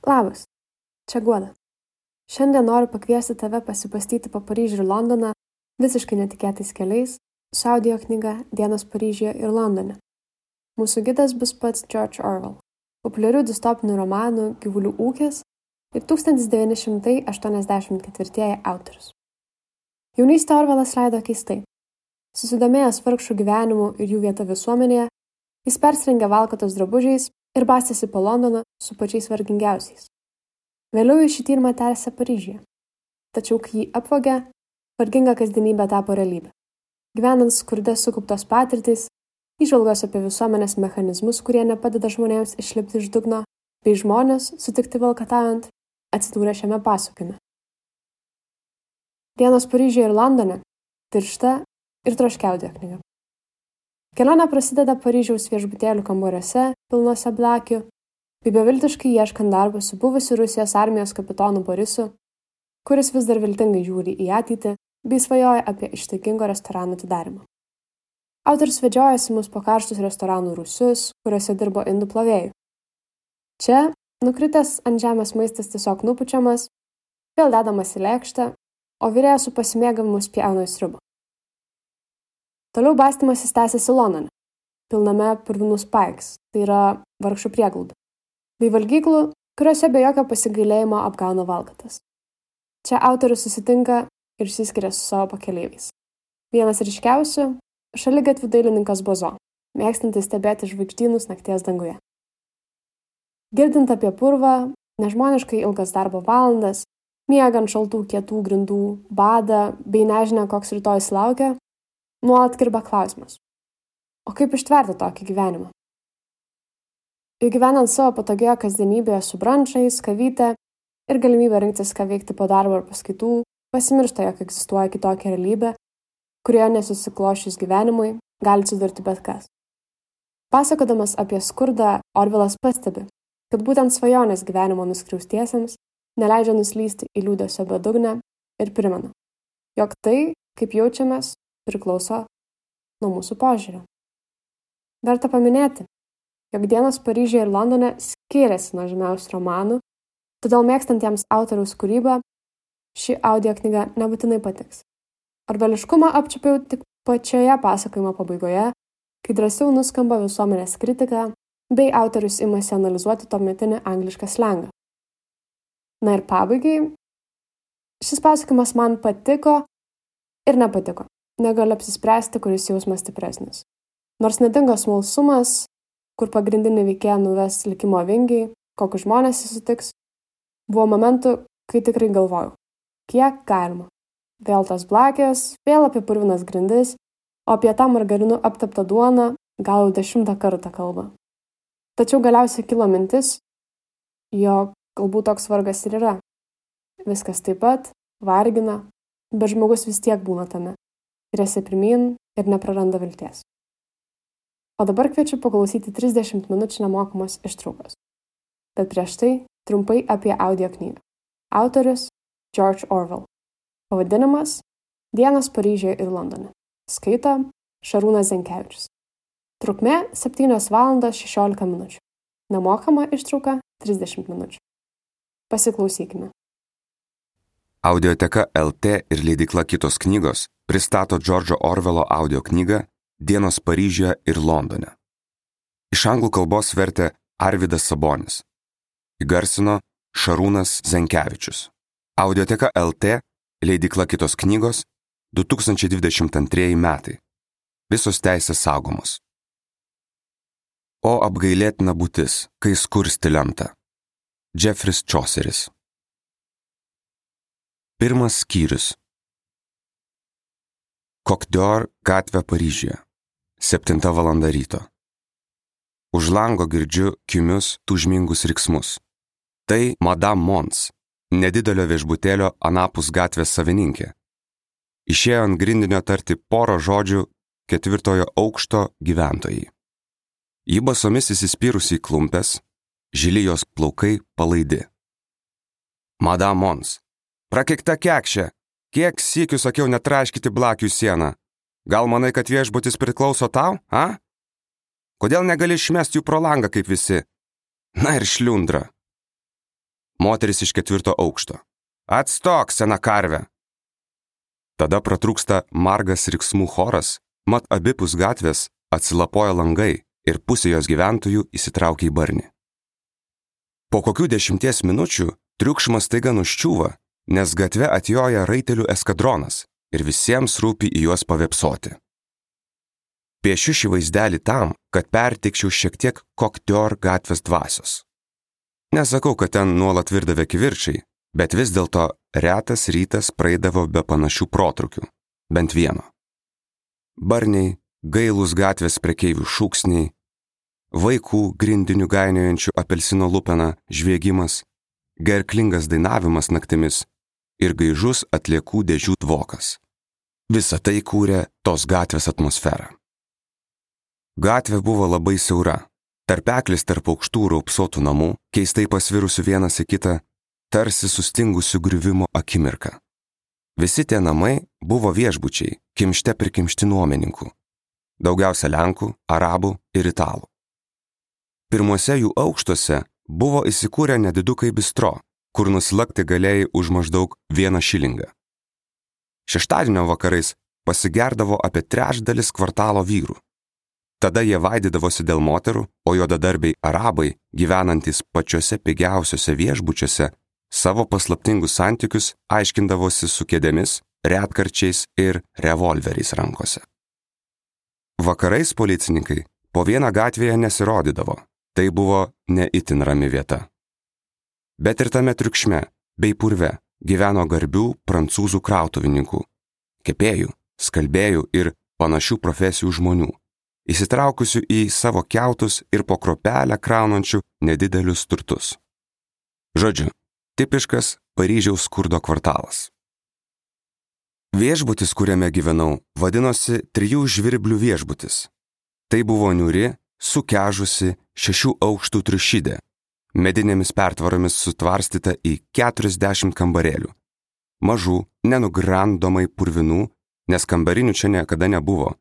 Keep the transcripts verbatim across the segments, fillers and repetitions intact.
Labas, čia Guoda. Šiandien noriu pakviesti tave pasipastyti po Paryžių ir Londoną visiškai netikėtais keliais su audio knyga Dienos Paryžiuje ir Londone. Mūsų gidas bus pats George Orwell, populiarių distopinių romanų Gyvulių ūkis ir tūkstantis devyni šimtai aštuoniasdešimt ketvirtieji autorius. Jaunystę Orwellas leido keistai. Susidomėjęs vargšų gyvenimu ir jų vieta visuomenėje, jis persirengė valkatos drabužiais ir bastėsi po Londoną su pačiais vargingiausiais. Vėliau jis šį tyrimą tęsė Paryžiuje. Tačiau, kai jį apvogė, varginga kasdienybė tapo realybė. Gyvenant skurde sukauptos patirtys, įžvalgos apie visuomenės mechanizmus, kurie nepadeda žmonėms išlipti iš dugno, bei žmonės, sutikti valkataujant, atsidūrė šiame pasakojime. Dienos Paryžiuje ir Londone – tiršta ir troškia audio knyga. Kelionė prasideda Paryžiaus viešbutėlių kambariuose, pilnuose blakių, bei beviltiškai ieškant darbo su buvusiu Rusijos armijos kapitonu Borisu, kuris vis dar viltingai žiūri į ateitį bei svajoja apie ištaigingą restoranų atidarymą. Autorius vedžiojasi mus po karštus restoranų rūsius, kuriuose dirbo indų plovėjų. Čia, nukritęs ant žemės maistas tiesiog nupučiamas, vėl dedamas į lėkštę, o virėjas su pasimėgavimu spjauna į sriubą. Toliau bastymasis tęsiasi Londone, pilname purvinų spikes, tai yra vargšų prieglauda, bei valgyklų, kuriuose be jokio pasigailėjimo apgauna valkatas. Čia autorius susitinka ir išsiskiria su savo pakeleiviais. Vienas ryškiausių – šaligatvių dailininkas Bozo, mėgstantis stebėti žvaigždynus nakties danguje. Girdint apie purvą, nežmoniškai ilgas darbo valandas, miegant šaltų kietų grindų, badą bei nežinia, koks rytojus laukia, nuolat kirba klausimas. O kaip ištverti tokį gyvenimą? Juk gyvenant savo patogioje kasdienybėje su brančais, kavyte ir galimybę rinktis, ką veikti po darbo ar paskaitų, pasimiršta, jog egzistuoja kitokia realybė, kurioje nesusiklošius gyvenimui gali atsidurti bet kas. Pasakodamas apie skurdą, Orwellas pastebi, kad būtent svajonės gyvenimo nuskriaustiesiems neleidžia nuslysti į liūdesio bedugnę ir primena, jog tai, kaip jaučiamės, priklauso nuo mūsų požiūrio. Verta paminėti, jog Dienos Paryžiuje ir Londone skiriasi nuo žymiausių romanų, todėl mėgstantiems autoriaus kūrybą ši audio knyga nebūtinai patiks. Orwelliškumą apčiupiau tik pačioje pasakojimo pabaigoje, kai drąsiau nuskamba visuomenės kritika, bei autorius imasi analizuoti tuometinį anglišką slengą. Na ir pabaigai, šis pasakojimas man patiko ir nepatiko. Negaliu apsispręsti, kuris jausmas stipresnis. Nors nedingo smalsumas, kur pagrindinį veikėją nuves likimo vingiai, kokius žmonės jis sutiks, buvo momentų, kai tikrai galvojau, kiek galima. Vėl tos blakės, vėl apie purvinas grindis, o apie tą margarinų apteptą duoną gal jau dešimtą kartą kalba. Tačiau galiausiai kilo mintis, jog galbūt toks vargas ir yra. Viskas taip pat vargina, bet žmogus vis tiek būna tame. Rėsi pirmyn ir nepraranda vilties. O dabar kviečiu paklausyti trisdešimt minučių nemokamos ištraukos. Bet prieš tai trumpai apie audio knygą. Autorius George Orwell. Pavadinimas Dienos Paryžiuje ir Londone. Skaito Šarūnas Zenkevičius. Trukmė septynios valandos šešiolika minučių. Nemokama ištrauka trisdešimt minučių. Pasiklausykime. Audioteka L T ir leidykla Kitos knygos pristato George'o Orwello audio knygą Dienos Paryžiuje ir Londone. Iš anglų kalbos vertė Arvydas Sabonis. Įgarsino Šarūnas Zenkevičius. Audioteka L T, leidykla Kitos knygos, du tūkstančiai dvidešimt antrieji metai. Visos teisės saugomos. O apgailėtina būtis, kai skursti lemta. Jeffris Chauceris. Pirmas skyrius. Coq d'Or gatvė Paryžiuje. Septinta valanda ryto. Už lango girdžiu kimius tūžmingus riksmus. Tai Madame Mons, nedidelio viešbutėlio anapus gatvės savininkė. Išėjo ant grindinio tarti porą žodžių ketvirtojo aukšto gyventojai. Ji basomis įsispyrusi į klumpes, žili jos plaukai palaidi. Madame Mons. Prakeikta kekšė, kiek sykių sakiau netraškyti blakių sieną. Gal manai, kad viešbutis priklauso tau, a? Kodėl negali išmesti jų pro langą kaip visi? Na ir šliundra. moteris iš ketvirto aukšto. Atstok, sena karve! Tada pratrūksta margas riksmų choras, mat abipus gatvės atsilapoja langai ir pusė jos gyventojų įsitraukia į barnį. Po kokių dešimties minučių triukšmas staiga nuščiūva, nes gatve atjoja raitelių eskadronas ir visiems rūpi į juos pavėpsoti. Piešiu šį vaizdelį tam, kad perteikčiau šiek tiek Koktior gatvės dvasios. Nesakau, kad ten nuolat virdavę kivirčiai, bet vis dėlto retas rytas praeidavo be panašių protrukių, bent vieno. Barniai, gailūs gatvės prekeivių šūksniai, vaikų grindinių gainiojančių apelsino lupeną žviegimas, gerklingas dainavimas naktimis ir gaižus atliekų dėžių dvokas. Visa tai kūrė tos gatvės atmosferą. Gatvė buvo labai siaura, tarpeklis tarp aukštų raupsuotų namų, keistai pasvirusių vienas į kitą, tarsi sustingusių griuvimo akimirką. Visi tie namai buvo viešbučiai, kimšte prikimšti nuomininkų, daugiausia lenkų, arabų ir italų. Pirmuose jų aukštuose buvo įsikūrę nedidukai bistro, kur nusilakti galėjai už maždaug vieną šilingą. Šeštadienio vakarais pasigerdavo apie trečdalis kvartalo vyrų. Tada jie vaidydavosi dėl moterų, o juodadarbiai arabai, gyvenantys pačiuose pigiausiuose viešbučiuose, savo paslaptingus santykius aiškindavosi su kėdėmis, retkarčiais ir revolveriais rankose. Vakarais policininkai po vieną gatvėje nesirodydavo, tai buvo ne itin rami vieta. Bet ir tame triukšme bei purve gyveno garbių prancūzų krautuvininkų, kepėjų, skalbėjų ir panašių profesijų žmonių, įsitraukusių į savo kiautus ir po kropelę kraunančių nedidelius turtus. Žodžiu, tipiškas Paryžiaus skurdo kvartalas. Viešbutis, kuriame gyvenau, vadinosi Trijų žvirblių viešbutis. Tai buvo niūri, sukežusi šešių aukštų triušidė, medinėmis pertvaromis sutvarstyta į keturiasdešimt kambarėlių. Mažų, nenugrandomai purvinų, nes kambarinių čia niekada nebuvo.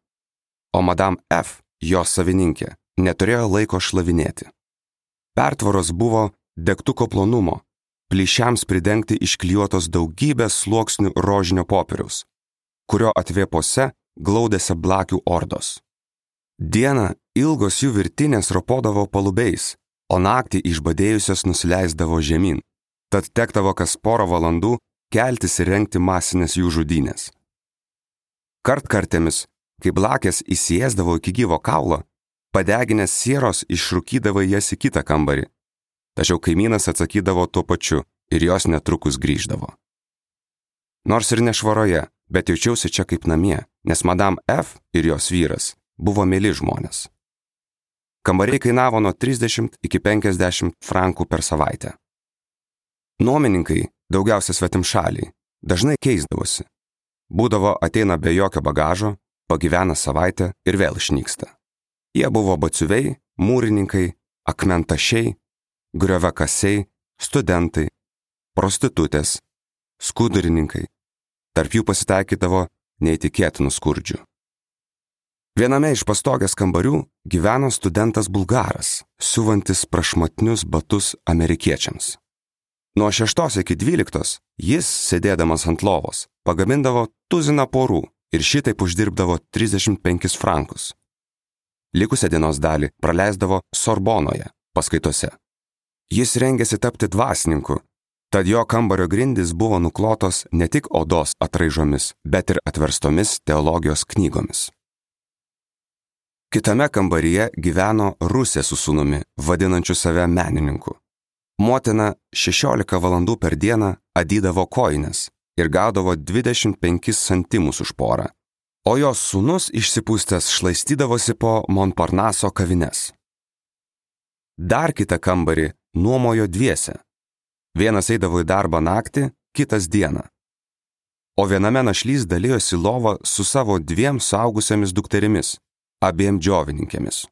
O Madame F, jos savininkė, neturėjo laiko šlavinėti. Pertvaros buvo degtuko plonumo, plyšiams pridengti išklijuotos daugybės sluoksnių rožinio popieriaus, kurio atvėpose glaudėsi blakių ordos. Dieną ilgos jų virtinės ropodavo palubiais, o naktį išbadėjusios nusileisdavo žemyn, tad tektavo kas porą valandų keltis ir rengti masinės jų žudynės. Kartkartėmis, kai blakės įsiėsdavo iki gyvo kaulo, padeginės sieros išrūkydavo jas į kitą kambarį, tačiau kaimynas atsakydavo tuo pačiu ir jos netrukus grįždavo. Nors ir nešvaroje, bet jaučiausi čia kaip namie, nes Madame F ir jos vyras buvo mieli žmonės. Kambariai kainavo nuo trisdešimt iki penkiasdešimt frankų per savaitę. Nuomininkai, daugiausia svetimšaliai, dažnai keisdavosi. Būdavo ateina be jokio bagažo, pagyvena savaitę ir vėl išnyksta. Jie buvo batsiuviai, mūrininkai, akmentašiai, griovakasiai, studentai, prostitutės, skudurininkai. Tarp jų pasitaikydavo neįtikėtinų skurdžių. Viename iš pastogės kambarių gyveno studentas bulgaras, siuvantis prašmatnius batus amerikiečiams. Nuo šeštos iki dvyliktos jis, sėdėdamas ant lovos, pagamindavo tuziną porų ir šitaip uždirbdavo trisdešimt penkis frankus. Likusią dienos dalį praleisdavo Sorbonoje, paskaitose. Jis rengėsi tapti dvasininku, tad jo kambario grindys buvo nuklotos ne tik odos atraižomis, bet ir atverstomis teologijos knygomis. Kitame kambaryje gyveno Rusė su sūnumi, vadinančiu save menininku. Motina šešiolika valandų per dieną adydavo kojines ir gaudavo dvidešimt penkis santimus už porą, o jos sūnus išsipūstęs šlaistydavosi po Montparnaso kavines. Dar kitą kambarį nuomojo dviese. Vienas eidavo į darbą naktį, kitas dieną. O viename našlys dalijosi lovą su savo dviem suaugusiamis dukterimis, abiem džiovininkėmis.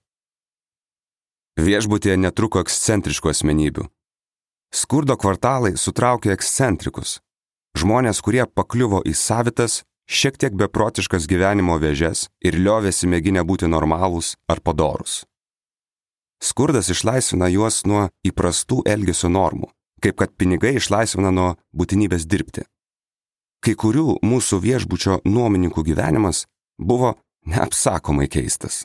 Viešbutyje netruko ekscentriškų asmenybių. Skurdo kvartalai sutraukė ekscentrikus, žmonės, kurie pakliuvo į savitas, šiek tiek beprotiškas gyvenimo vėžes ir liovėsi mėginę būti normalūs ar padorūs. Skurdas išlaisvina juos nuo įprastų elgesio normų, kaip kad pinigai išlaisvina nuo būtinybės dirbti. Kai kurių mūsų viešbučio nuomininkų gyvenimas buvo neapsakomai keistas.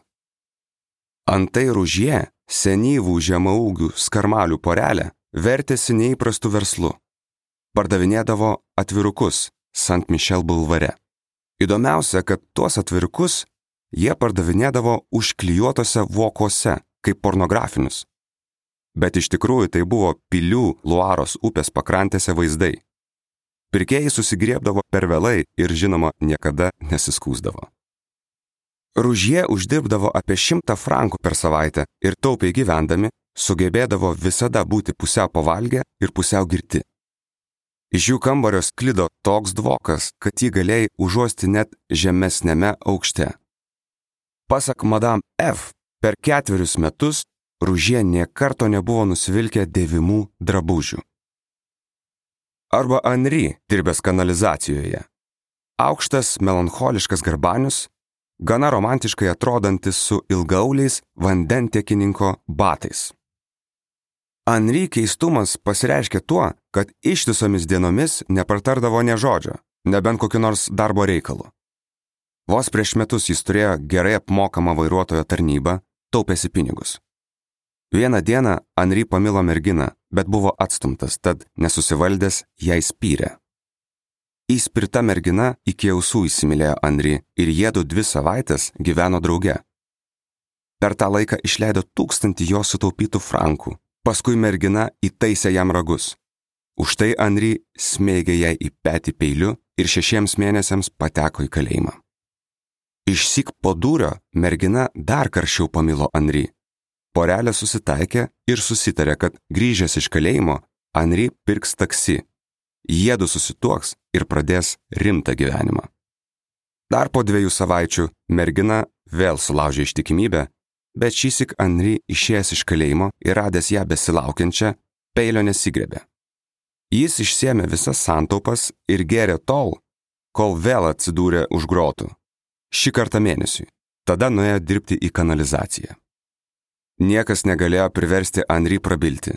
Antai Ružie, senyvų žemaūgių skarmalių porelė, vertėsi neįprastu verslu. Pardavinėdavo atvirukus Sant Mišel bulvare. Įdomiausia, kad tuos atvirukus jie pardavinėdavo užklijuotose vokuose, kaip pornografinius. Bet iš tikrųjų tai buvo pilių Luaros upės pakrantėse vaizdai. Pirkėjai susigriebdavo per vėlai ir, žinoma, niekada nesiskųsdavo. Ružie uždirbdavo apie šimtą frankų per savaitę ir taupiai gyvendami sugebėdavo visada būti pusiau pavalgę ir pusiau girti. Iš jų kambario sklido toks dvokas, kad jį galėjai užuosti net žemesnėme aukšte. Pasak Madame F, per ketverius metus Ružie nė karto nebuvo nusivilkę dėvimų drabužių. Arba Henri, dirbęs kanalizacijoje. Aukštas, melancholiškas garbanius, gana romantiškai atrodantis su ilgauliais vandentiekininko batais. Henri keistumas pasireiškė tuo, kad ištisomis dienomis nepratardavo nė žodžio, nebent kokiu nors darbo reikalu. Vos prieš metus jis turėjo gerai apmokamą vairuotojo tarnybą, taupėsi pinigus. Vieną dieną Henri pamilo merginą, bet buvo atstumtas, tad nesusivaldęs jai spyrė. Įspirta mergina iki ausų įsimylėjo Henri ir jiedu dvi savaitės gyveno drauge. Per tą laiką išleido tūkstantį jo sutaupytų frankų, paskui mergina įtaisė jam ragus. Už tai Henri smėgė jai į petį peiliu ir šešiems mėnesiams pateko į kalėjimą. Išsyk po dūrio mergina dar karščiau pamilo Henri. Porelė susitaikė ir susitarė, kad grįžęs iš kalėjimo, Henri pirks taksi. Jiedu susituoks ir pradės rimtą gyvenimą. Dar po dviejų savaičių mergina vėl sulaužė ištikimybę, bet šįsyk Henri išėjęs iš kalėjimo ir radęs ją besilaukiančią, peilio nesigriebė. Jis išsėmė visas santaupas ir gėrė tol, kol vėl atsidūrė už grotų. Šį kartą mėnesiui. Tada nuėjo dirbti į kanalizaciją. Niekas negalėjo priversti Henri prabilti.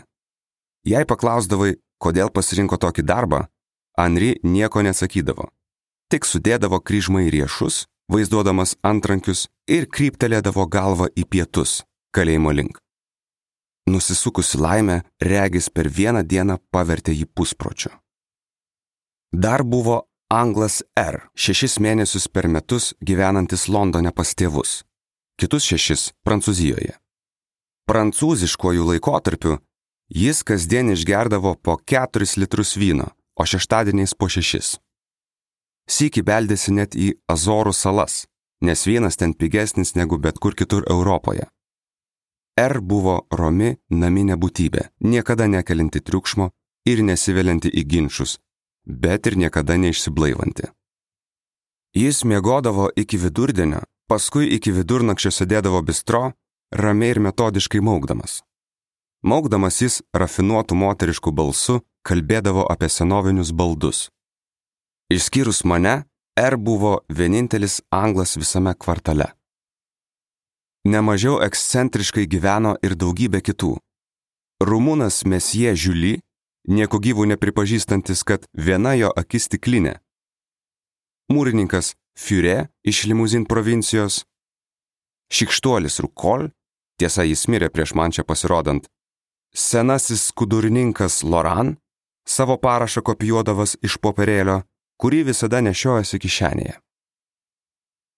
Jei paklausdavai, kodėl pasirinko tokį darbą, Henri nieko nesakydavo. Tik sudėdavo kryžmą į riešus, vaizduodamas antrankius ir kryptelėdavo galvą į pietus, kalėjimo link. Nusisukusi laimė, regis per vieną dieną pavertė jį puspročiu. Dar buvo Anglas R, šešis mėnesius per metus gyvenantis Londone pas tėvus, kitus šešis Prancūzijoje. Prancūziškuoju laikotarpiu jis kasdien išgerdavo po keturis litrus vyno, o šeštadieniais po šešis. Sykį beldėsi net į Azorų salas, nes vynas ten pigesnis negu bet kur kitur Europoje. R buvo romi naminė būtybė, niekada nekelinti triukšmo ir nesivelianti į ginčus, bet ir niekada neišsiblaivanti. Jis miegodavo iki vidurdienio, paskui iki vidurnakčio sėdėdavo bistro, ramiai ir metodiškai maukdamas. Maukdamas jis rafinuotų moteriškų balsų kalbėdavo apie senovinius baldus. Išskyrus mane, R buvo vienintelis anglas visame kvartale. Nemažiau ekscentriškai gyveno ir daugybė kitų. Rumūnas Mesjė Žiuli, nieko gyvų nepripažįstantis, kad viena jo akis stiklinė. Mūrininkas Fiure iš Limuzin provincijos. Šikštuolis Rukol, tiesa jis mirė prieš man čia pasirodant. Senasis skudurininkas Loran, savo parašą kopijuodavas iš popierėlio, kurį visada nešiojasi kišenėje.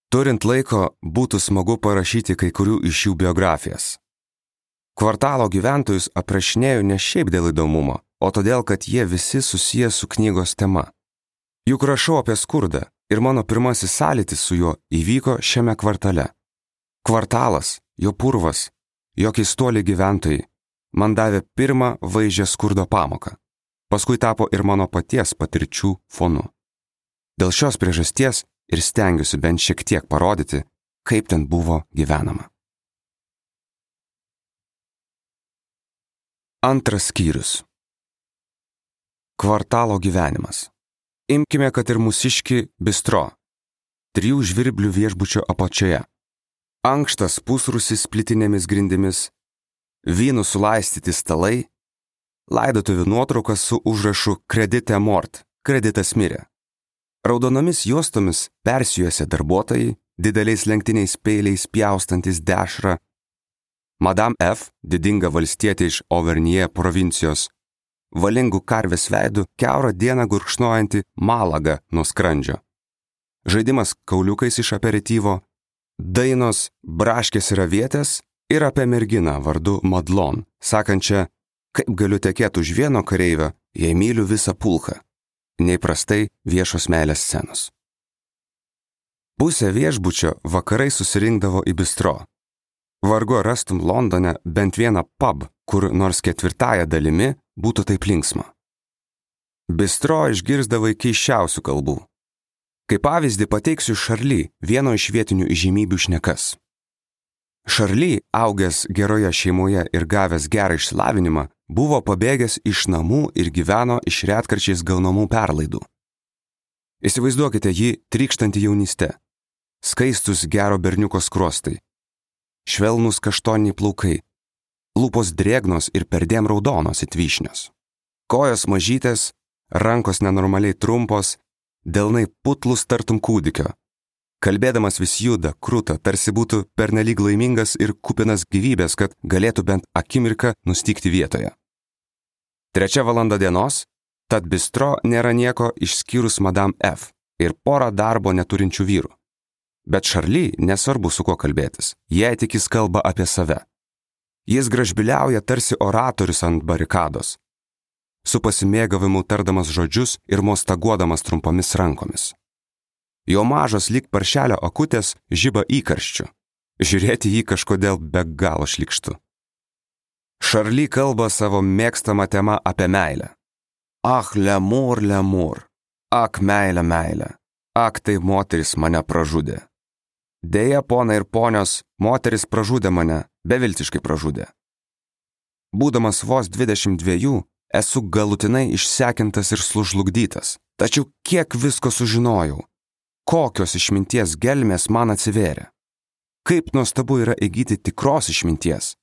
Turint laiko, būtų smagu parašyti kai kurių iš jų biografijas. Kvartalo gyventojus aprašinėjau ne šiaip dėl įdomumo, o todėl, kad jie visi susiję su knygos tema. Juk rašau apie skurdą ir mano pirmasis sąlytis su juo įvyko šiame kvartale. Kvartalas, jo purvas, jo keistuoliai gyventojai man davė pirmą vaizdžią skurdo pamoką. Paskui tapo ir mano paties patirčių fonu. Dėl šios priežasties ir stengiuosi bent šiek tiek parodyti, kaip ten buvo gyvenama. Antras skyrius. Kvartalo gyvenimas. Imkime, kad ir mūsiškį bistro. Trijų žvirblių viešbučio apačioje. Ankštas pusrūsis plitinėmis grindimis, vynų sulaistyti stalai, laidotuvių nuotraukas su užrašu Kredite mort, kreditas mirė. Raudonomis juostomis persijuose darbuotojai, dideliais lenktiniais peiliais pjaustantis dešrą, Madame F, didinga valstietė iš Auvergne provincijos, valingų karvės veidų kiaurą dieną gurkšnojanti malagą nuo skrandžio. Žaidimas kauliukais iš aperityvo, dainos braškės ir avietės ir apie merginą vardu Madlon, sakančią, kaip galiu tekėti už vieno kareivio, jei myliu visą pulką. Neįprastai viešos meilės scenos. Pusė viešbučio vakarai susirinkdavo į bistro. Vargu rastum Londone bent vieną pub, kur nors ketvirtąją dalimi būtų taip linksma. Bistro išgirsdavai keisčiausių kalbų. Kaip pavyzdį pateiksiu Charlie, vieno iš vietinių įžymybių šnekas. Charlie, augęs geroje šeimoje ir gavęs gerą išsilavinimą, buvo pabėgęs iš namų ir gyveno iš retkarčiais gaunamų perlaidų. Įsivaizduokite jį trykštantį jaunystę, skaistus gero berniuko skruostai, švelnūs kaštoniai plaukai, lūpos drėgnos ir perdėm raudonos it vyšnios, kojos mažytės, rankos nenormaliai trumpos, delnai putlus tartum kūdikio. Kalbėdamas vis juda, kruta, tarsi būtų pernelyg laimingas ir kupinas gyvybės, kad galėtų bent akimirką nustygti vietoje. Trečia valanda dienos, tad bistro nėra nieko išskyrus Madame F ir porą darbo neturinčių vyrų. Bet Charlie nesvarbu su kuo kalbėtis, jei tik jis kalba apie save. Jis gražbiliauja tarsi oratorius ant barikados, su pasimėgavimu tardamas žodžius ir mostaguodamas trumpomis rankomis. Jo mažos lyg paršelio akutės žiba įkarščiu. Žiūrėti jį kažkodėl be galo šlykštu. Charlie kalba savo mėgstamą temą apie meilę. Ach, lemur, lemur. Ak, meilė, meilė. Ak, tai moteris mane pražudė. Deja, ponai ir ponios, moteris pražudė mane, beviltiškai pražudė. Būdamas vos dvidešimt dviejų, esu galutinai išsekintas ir sužlugdytas. Tačiau kiek visko sužinojau. Kokios išminties gelmės man atsivėrė. Kaip nuostabu yra įgyti tikros išminties.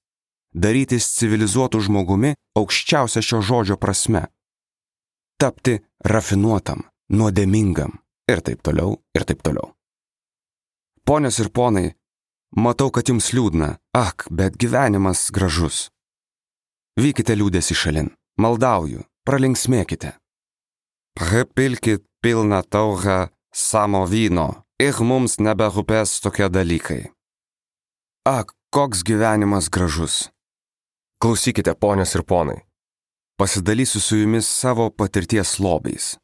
Darytis civilizuotų žmogumi aukščiausia šio žodžio prasme. Tapti rafinuotam, nuodėmingam ir taip toliau, ir taip toliau. Ponios ir ponai, matau, kad jums liūdna, ak, bet gyvenimas gražus. Vykite liūdėsi šalin, maldauju, pralinksmėkite. Pripilkit pilną taurę samo vyno ir mums neberūpės tokie dalykai. Ak, koks gyvenimas gražus. Klausykite, ponios ir ponai. Pasidalysiu su jumis savo patirties lobiais.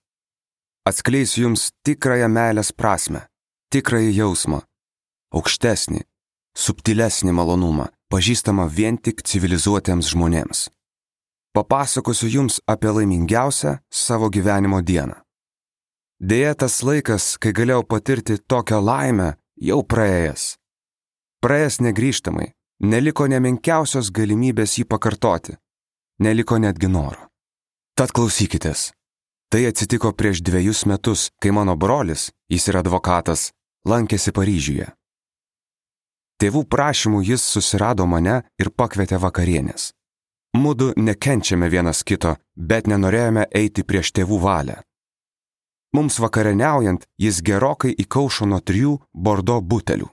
Atskleisiu jums tikrąją meilės prasmę, tikrąjį jausmą, aukštesnį, subtilesnį malonumą, pažįstamą vien tik civilizuotiems žmonėms. Papasakosiu jums apie laimingiausią savo gyvenimo dieną. Deja, tas laikas, kai galėjau patirti tokią laimę, jau praėjęs. Praėjęs negrįžtamai, neliko nemenkiausios galimybės jį pakartoti, neliko netgi noro. Tad klausykitės. Tai atsitiko prieš dviejus metus, kai mano brolis, jis yra advokatas, lankėsi Paryžiuje. Tėvų prašymų jis susirado mane ir pakvietė vakarienės. Mudu nekenčiame vienas kito, bet nenorėjome eiti prieš tėvų valią. Mums vakarieniaujant, jis gerokai įkaušo nuo trijų bordo butelių.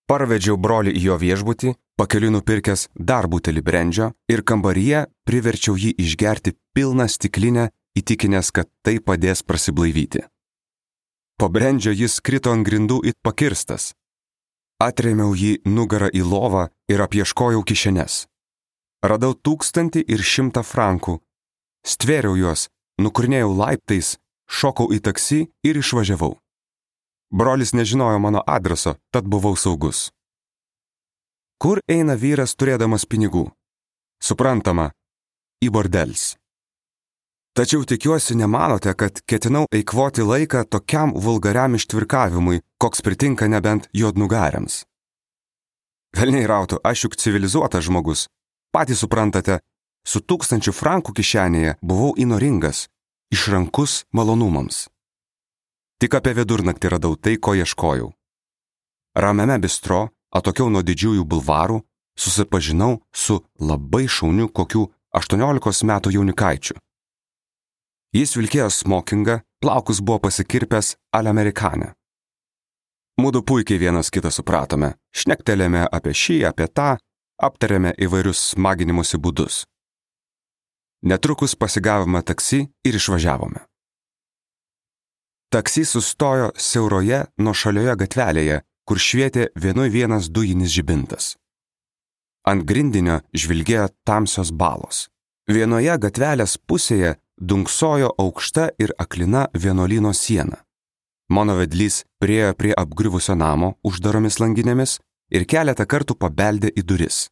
Parvedžiau brolį į jo viešbutį, pakeliui nupirkęs dar butelį brendžio ir kambaryje priverčiau jį išgerti pilną stiklinę, įtikinęs, kad tai padės prasiblaivyti. Po brendžio jis krito ant grindų it pakirstas. Atrėmiau jį nugarą į lovą ir apieškojau kišenes. Radau tūkstantį ir šimtą frankų. Stvėriau juos, nukurnėjau laiptais, šokau į taksi ir išvažiavau. Brolis nežinojo mano adreso, tad buvau saugus. Kur eina vyras turėdamas pinigų? Suprantama, į bordels. Tačiau tikiuosi nemanote, kad ketinau eikvoti laiką tokiam vulgariam ištvirkavimui, koks pritinka nebent juodnugariams. Velniai rautų, aš juk civilizuotas žmogus. Patys suprantate, su tūkstančiu frankų kišenėje buvau įnoringas, išrankus malonumams. Tik apie vidurnaktį radau tai, ko ieškojau. Ramiame bistro, atokiau nuo didžiųjų bulvarų, susipažinau su labai šauniu kokių aštuoniolikos metų jaunikaičiu. Jis vilkėjo smokingą, plaukus buvo pasikirpęs al-amerikanę. Mudu puikiai vienas kitą supratome, šnektelėme apie šį, apie tą, aptarėme įvairius smaginimosi būdus. Netrukus pasigavome taksi ir išvažiavome. Taksi sustojo siauroje nuošalioje gatvelėje, kur švietė vienui vienas dujinis žibintas. Ant grindinio žvilgėjo tamsios balos. Vienoje gatvelės pusėje dunksojo aukšta ir aklina vienuolyno siena. Mano vedlys priėjo prie apgriuvusio namo uždaromis langinėmis ir keletą kartų pabeldė į duris.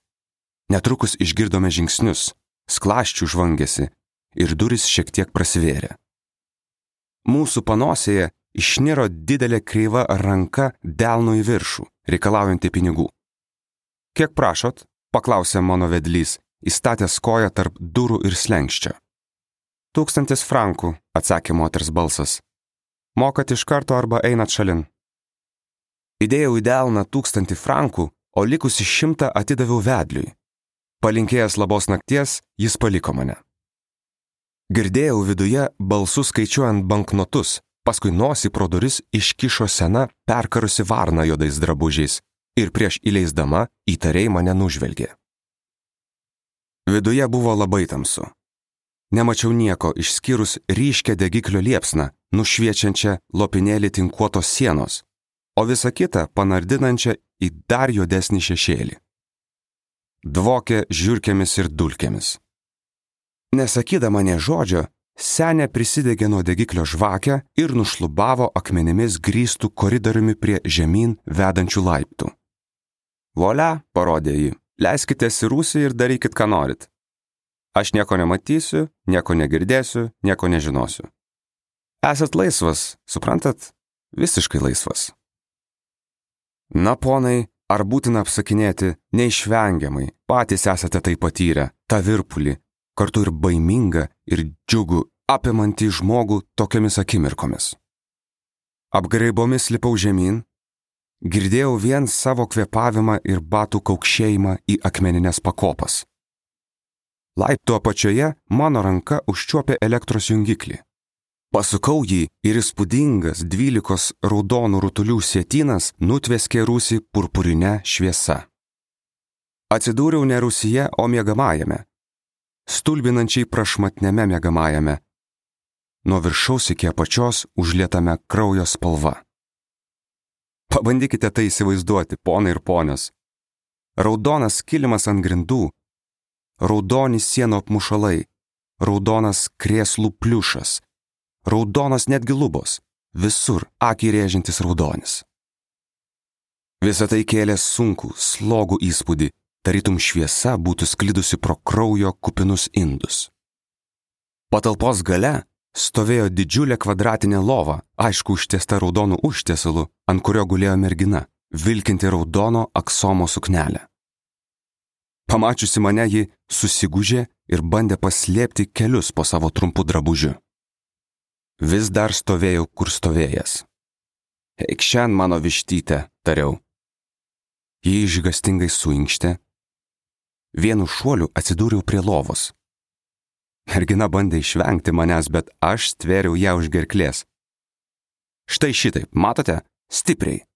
Netrukus išgirdome žingsnius, sklaščių žvangėsi ir durys šiek tiek prasivėrė. Mūsų panosėje išniro didelė kreiva ranka delnu į viršų, reikalaujanti pinigų. Kiek prašot? Paklausė mano vedlys, įstatęs koją tarp durų ir slenkščio. Tūkstantis frankų, atsakė moters balsas. Mokat iš karto arba einat šalin. Įdėjau į delną tūkstantį frankų, o likusi šimtą atidaviau vedliui. Palinkėjęs labos nakties, jis paliko mane. Girdėjau viduje balsus skaičiuojant banknotus, paskui nosį pro duris iškišo sena perkarusi varna juodais drabužiais ir prieš įleisdama įtariai mane nužvelgė. Viduje buvo labai tamsu. Nemačiau nieko išskyrus ryškę degiklio liepsną, nušviečiančią lopinėlį tinkuotos sienos, o visa kita panardinančią į dar juodesnį šešėlį. Dvokė žiurkėmis ir dulkėmis. Nesakydama nė žodžio, senė prisidegė nuo degiklio žvakę ir nušlubavo akmenimis grįstų koridoriumi prie žemyn vedančių laiptų. Volia, parodė ji, leiskitės į rūsį ir darykit, ką norit. Aš nieko nematysiu, nieko negirdėsiu, nieko nežinosiu. Esat laisvas, suprantat? Visiškai laisvas. Na, ponai, ar būtina apsakinėti, neišvengiamai, patys esate tai patyrę, tą virpulį, kartu ir baimingą ir džiugų, apimantį žmogų tokiamis akimirkomis. Apgraibomis lipau žemyn, girdėjau vien savo kvėpavimą ir batų kaukšėjimą į akmenines pakopas. Laiptų apačioje mano ranka užčiuopė elektros jungiklį. Pasukau jį ir įspūdingas dvylikos raudonų rutulių sietynas nutveskė rūsį purpurinę šviesa. Atsidūriau ne rūsyje, o miegamajame, stulbinančiai prašmatniame miegamajame, nuo viršaus iki apačios užlietame kraujo spalva. Pabandykite tai įsivaizduoti, ponai ir ponios. Raudonas kilimas ant grindų, raudoni sienų apmušalai, raudonas krėslų pliušas, raudonas netgi lubos, visur akį rėžiantis raudonis. Visa tai kėlė sunkų, slogų įspūdį, tarytum šviesa būtų sklidusi pro kraujo kupinus indus. Patalpos gale stovėjo didžiulė kvadratinė lova, aišku užtiesta raudonų užtiesalu, ant kurio gulėjo mergina, vilkinti raudono aksomo suknelę. Pamačiusi mane, ji susigūžė ir bandė paslėpti kelius po savo trumpu drabužiu. Vis dar stovėjau, kur stovėjęs. Eik šiandien, mano vištytė, tariau. Ji išgastingai suinkštė. Vienu šuoliu atsidūriau prie lovos. Mergina bandė išvengti manęs, bet aš stvėriau ją už gerklės. Štai šitaip, matote, stipriai.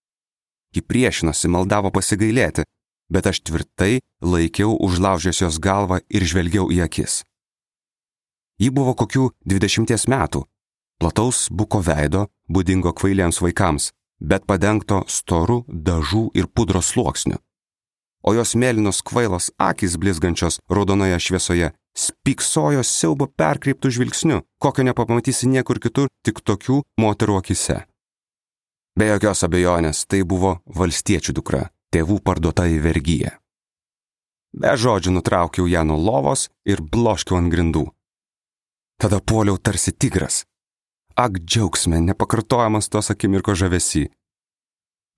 Ji priešinosi, maldavo pasigailėti, bet aš tvirtai laikiau užlaužęs jos galvą ir žvelgiau į akis. Ji buvo kokių dvidešimties metų, plataus buko veido, būdingo kvailiems vaikams, bet padengto storu dažų ir pudros sluoksniu. O jos mėlynos kvailos akys blizgančios raudonoje šviesoje spyksojo siaubo perkreiptų žvilgsniu, kokio nepamatysi niekur kitur, tik tokių moterų akise. Be jokios abejonės, tai buvo valstiečių dukra, tėvų parduota į vergiją. Be žodžių nutraukiau ją nuo lovos ir bloškiau ant grindų. Tada puoliau tarsi tigras. Ak, džiaugsme, nepakartojamas tos akimirko žavesy.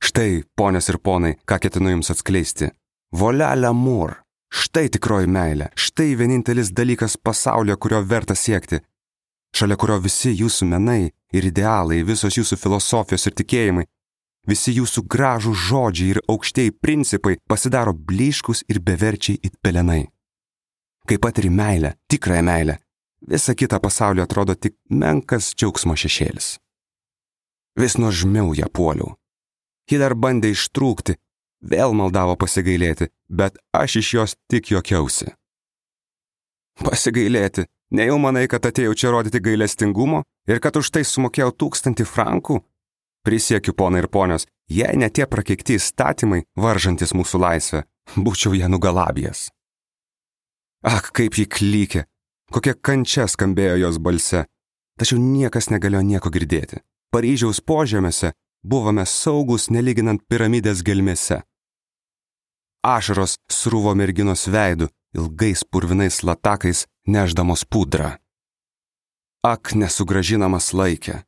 Štai, ponios ir ponai, ką ketinu jums atskleisti. Volia l'amour. Štai tikroji meilė, štai vienintelis dalykas pasaulyje, kurio verta siekti, šalia kurio visi jūsų menai ir idealai, visos jūsų filosofijos ir tikėjimai, visi jūsų gražų žodžiai ir aukštieji principai pasidaro blyškus ir beverčiai it pelenai. kai patiri meilę, tikrąją meilę, visa kita pasaulio atrodo tik menkas džiaugsmo šešėlis. Vis nuožmiau ją puoliau. Ji dar bandė ištrūkti, vėl maldavo pasigailėti, bet aš iš jos tik juokiausi. Pasigailėti, nejau manai, kad atėjau čia rodyti gailestingumo ir kad už tai sumokėjau tūkstantį frankų? Prisiekiu, ponai ir ponios, jei ne tie prakeikti įstatymai, varžantis mūsų laisvę, būčiau ją nugalabijęs. Ak, kaip ji klykė, kokia kančia skambėjo jos balse, tačiau niekas negalėjo nieko girdėti. Paryžiaus požemėse buvome saugus nelyginant piramidės gelmėse. Ašaros srūvo merginos veidu, ilgais purvinais latakais neždamos pudrą. Ak, nesugrąžinamas laikė.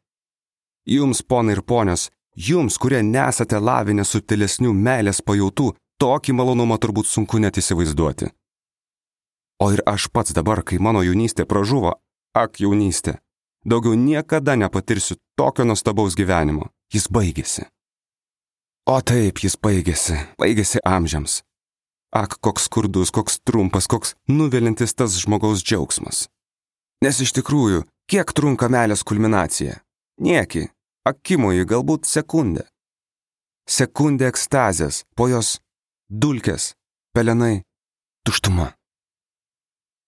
Jums, ponai ir ponios, jums, kurie nesate lavinę subtilesnių meilės pajautų, tokį malonumą turbūt sunku net įsivaizduoti. O ir aš pats dabar, kai mano jaunystė pražuvo, ak jaunystė, daugiau niekada nepatirsiu tokio nuostabaus gyvenimo. Jis baigėsi. O taip, jis baigėsi, baigėsi amžiams. Ak, koks skurdus, koks trumpas, koks nuvilintis tas žmogaus džiaugsmas. Nes iš tikrųjų, kiek trunka meilės kulminacija? Nieki, akimoji galbūt sekundę. Sekundė ekstazės, po jos dulkės, pelenai, tuštuma.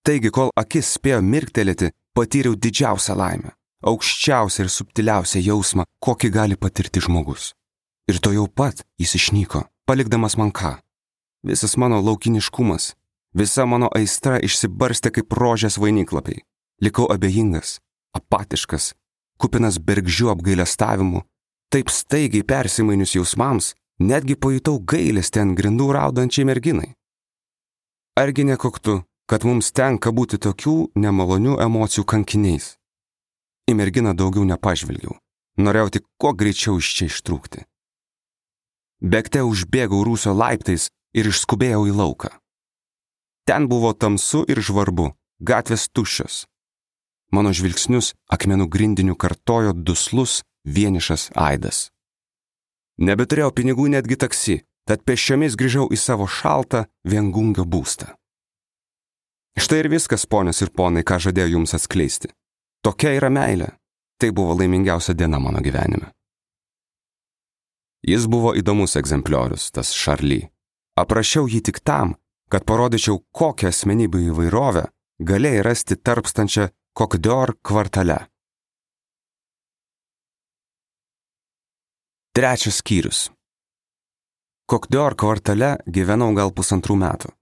Taigi, kol akis spėjo mirktelėti, patyriau didžiausią laimę, aukščiausią ir subtiliausią jausmą, kokį gali patirti žmogus. Ir to jau pat jis išnyko, palikdamas man ką. Visas mano laukiniškumas, visa mano aistra išsibarstė kaip rožės vainiklapiai. Likau abejingas, apatiškas, kupinas bergždžių apgailestavimų. Taip staigiai persimainius jausmams, netgi pajutau gailestį ant grindų raudančiai merginai. Argi nekoktu, kad mums tenka būti tokių nemalonių emocijų kankiniais? Į merginą daugiau nepažvelgiau, norėjau tik kuo greičiau iš čia ištrūkti. Bėgte užbėgau rūsio laiptais ir išskubėjau į lauką. Ten buvo tamsu ir žvarbu, gatvės tuščios. Mano žvilgsnius akmenų grindiniu kartojo duslus, vienišas aidas. Nebeturėjau pinigų netgi taksi, tad pėsčiomis grįžau į savo šaltą viengungio būstą. Štai ir viskas, ponios ir ponai, ką žadėjau jums atskleisti. Tokia yra meilė. Tai buvo laimingiausia diena mano gyvenime. Jis buvo įdomus egzempliorius, tas Šarly. Aprašiau jį tik tam, kad parodyčiau, kokią asmenybių įvairovę galėjai rasti tarpstančią Coq d'Or kvartale. Trečias skyrius. Coq d'Or kvartale gyvenau gal pusantrų metų.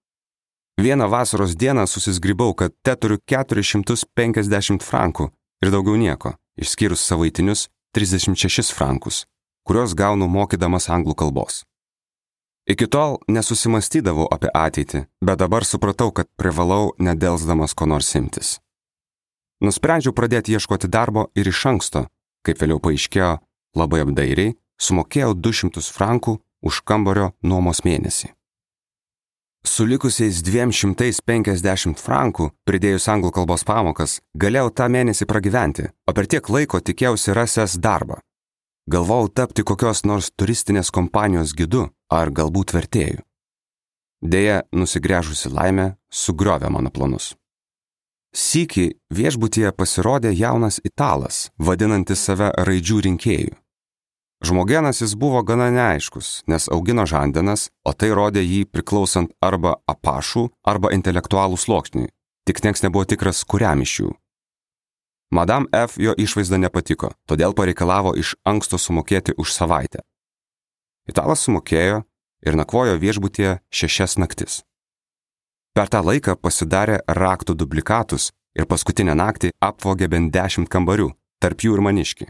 Vieną vasaros dieną susizgribau, kad te turiu keturis šimtus penkiasdešimt frankų ir daugiau nieko, išskyrus savaitinius trisdešimt šešis frankus, kuriuos gaunu mokydamas anglų kalbos. Iki tol nesusimastydavau apie ateitį, bet dabar supratau, kad privalau nedelsdamas ko nors imtis. Nusprendžiau pradėti ieškoti darbo ir iš anksto, kaip vėliau paaiškėjo, labai apdairiai, sumokėjau du šimtus frankų už kambario nuomos mėnesį. Su likusiais dviem šimtais penkiasdešimt frankų, pridėjus anglų kalbos pamokas, galėjau tą mėnesį pragyventi, o per tiek laiko tikėjausi rasęs darbą. Galvojau tapti kokios nors turistinės kompanijos gidu ar galbūt vertėju. Deja, nusigręžusi laimė sugriovė mano planus. Sykį viešbutyje pasirodė jaunas italas, vadinantis save raidžių rinkėjų. Žmogienas jis buvo gana neaiškus, nes augino žandenas, o tai rodė jį priklausant arba apašų, arba intelektualų sluoksniui, tik nieks nebuvo tikras, kuriam iš jų. Madame F. jo išvaizda nepatiko, todėl pareikalavo iš anksto sumokėti už savaitę. Italas sumokėjo ir nakvojo viešbutyje šešias naktis. Per tą laiką pasidarė raktų dublikatus ir paskutinę naktį apvogė bent dešimt kambarių, tarp jų ir maniškį.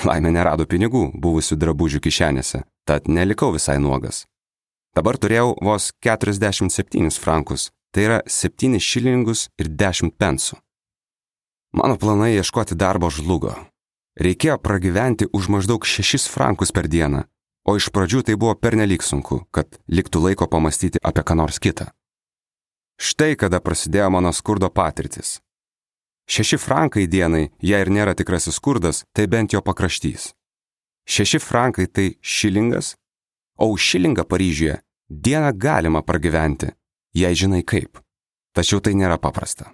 Laimė nerado pinigų buvusių drabužių kišenėse, tad nelikau visai nuogas. Dabar turėjau vos keturiasdešimt septynis frankus, tai yra septynis šilingus ir dešimt pensų. Mano planai ieškoti darbo žlugo. Reikėjo pragyventi už maždaug šešis frankus per dieną, o iš pradžių tai buvo pernelyg sunku, kad liktų laiko pamastyti apie ką nors kitą. Štai kada prasidėjo mano skurdo patirtis. Šeši frankai dienai, jei ir nėra tikrasis skurdas, tai bent jo pakraštys. Šeši frankai tai šilingas, o už šilingą Paryžiuje dieną galima pragyventi, jei žinai kaip. tačiau tai nėra paprasta.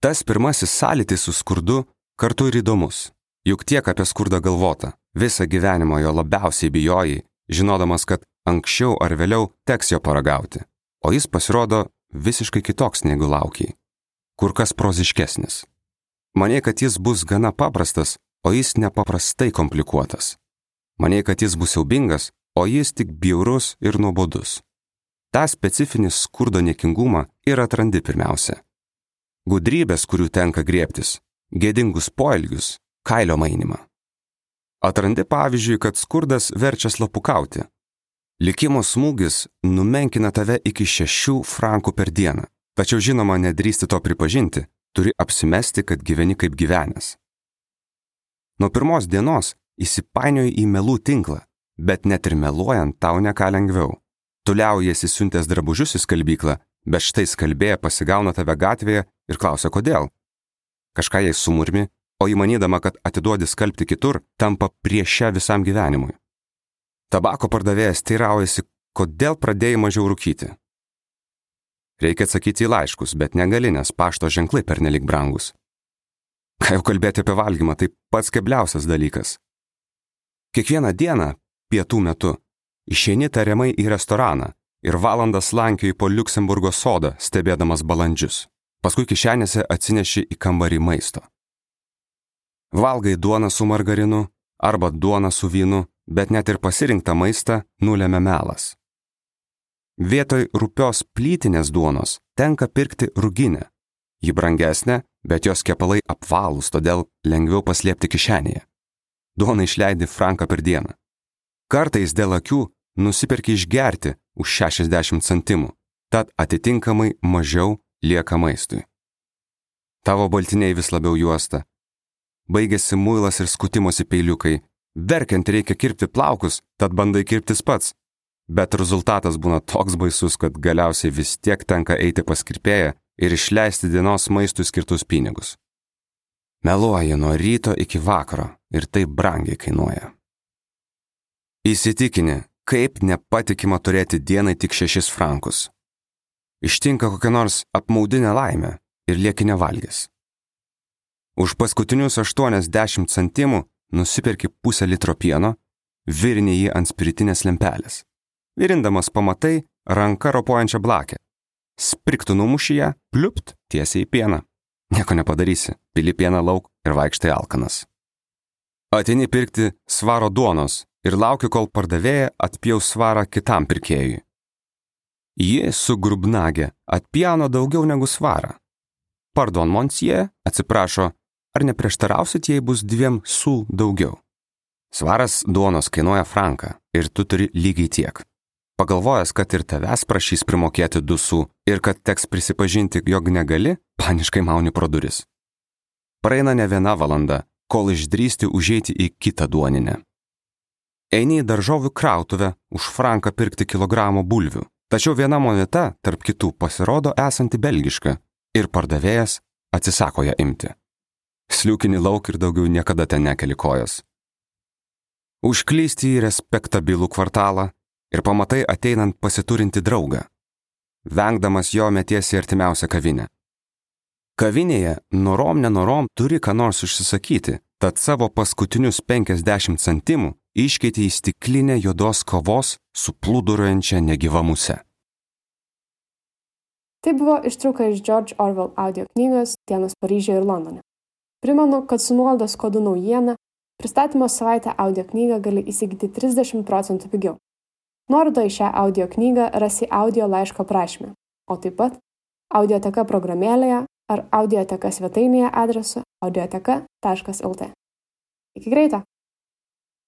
Tas pirmasis sąlytis su skurdu kartu ir įdomus, juk tiek apie skurdą galvota, visą gyvenimą jo labiausiai bijojai, žinodamas, kad anksčiau ar vėliau teks jo paragauti, o jis pasirodo visiškai kitoks negu laukiai, kur kas proziškesnis. Manė, kad jis bus gana paprastas, o jis nepaprastai komplikuotas. Manė, kad jis bus siaubingas, o jis tik bjaurus ir nuobodus. Ta specifinį skurdo niekingumą ir atrandi pirmiausia. Gudrybės, kurių tenka griebtis, gėdingus poelgius, kailio mainimą. Atrandi pavyzdžiui, kad skurdas verčia slapukauti. Likimo smūgis numenkina tave iki šešių frankų per dieną, tačiau žinoma, nedrįsti to pripažinti, turi apsimesti, kad gyveni kaip gyvenęs. Nuo pirmos dienos įsipainioji į melų tinklą, bet net ir meluojant tau ne ką lengviau. Tu liaujiesi siuntęs drabužius į skalbyklą, bet štai skalbėja pasigauna tave gatvėje ir klausia, kodėl. Kažką jai sumurmi, o įmanydama, kad atiduodi skalbti kitur, tampa priešia visam gyvenimui. Tabako pardavėjas teiraujasi, kodėl pradėjai mažiau rūkyti. Reikia atsakyti į laiškus, bet negali, nes pašto ženklai pernelik brangus. Ką jau kalbėti apie valgymą, tai pats kebliausias dalykas. Kiekvieną dieną, pietų metu, išeini tariamai į restoraną ir valandas lankioji po Liuksemburgo sodą, stebėdamas balandžius. Paskui kišenėse atsineši į kambarį maisto. Valgai duoną su margarinu arba duoną su vynu, bet net ir pasirinktą maistą nulėmė melas. Vietoj rupios plytinės duonos tenka pirkti ruginę. Ji brangesnė, bet jos kepalai apvalūs, todėl lengviau paslėpti kišenėje. Duoną išleidi franką per dieną. Kartais dėl akių nusiperki išgerti už šešiasdešimt centimų, tad atitinkamai mažiau lieka maistui. Tavo baltiniai vis labiau juosta. Baigėsi muilas ir skutimosi peiliukai. Verkiant reikia kirpti plaukus, tad bandai kirptis pats. Bet rezultatas būna toks baisus, kad galiausiai vis tiek tenka eiti pas kirpėją ir išleisti dienos maistui skirtus pinigus. Meluoji nuo ryto iki vakaro ir tai brangiai kainuoja. Įsitikini, kaip nepatikima turėti dienai tik šešis frankus. Ištinka kokia nors apmaudinė laimė ir lieki nevalgęs. Už paskutinius aštuoniasdešimt centimų nusiperki pusę litro pieno, virini jį ant spiritinės lempelės. Virindamas pamatai ranka ropojančią blakę. Spriktų numuši ją, pliupt tiesiai į pieną. Nieko nepadarysi, pili pieną lauk ir vaikštai alkanas. Ateini pirkti svaro duonos ir lauki, kol pardavėja atpjaus svarą kitam pirkėjui. Ji su grubnage atpjauna daugiau negu svarą. Pardon, monsieur, atsiprašo, ar neprieštarausit, jei bus dviem sul daugiau? Svaras duonos kainuoja franką ir tu turi lygiai tiek. Pagalvojęs, kad ir tavęs prašys primokėti du su ir kad teks prisipažinti, jog negali, paniškai mauni pro duris. Praeina ne viena valanda, kol išdrįsti užeiti į kitą duoninę. Eini į daržovių krautuvę už franką pirkti kilogramo bulvių, tačiau viena moneta tarp kitų pasirodo esanti belgiška ir pardavėjas atsisako ją imti. Sliūkini lauk ir daugiau niekada ten nekeli kojas. Užklysti į respektabilų kvartalą ir pamatai ateinant pasiturinti draugą. Vengdamas jo metiesi artimiausią kavinę. Kavinėje norom nenorom turi ką nors užsisakyti, tad savo paskutinius penkiasdešimt centimų iškeiti į stiklinę juodos kavos su plūduriuojančia negyva muse. Tai buvo ištrauka iš George Orwell audio knygos Dienos Paryžiuje ir Londone. Primenu, kad su nuolaidos kodu naujiena pristatymo savaitę audio knygą gali įsigyti trisdešimt procentų pigiau. Nuorodą į šią audio knygą rasi audio laiško prašyme, o taip pat audioteka programėlėje ar audioteka svetainėje adresu audioteka taškas lt. Iki greito!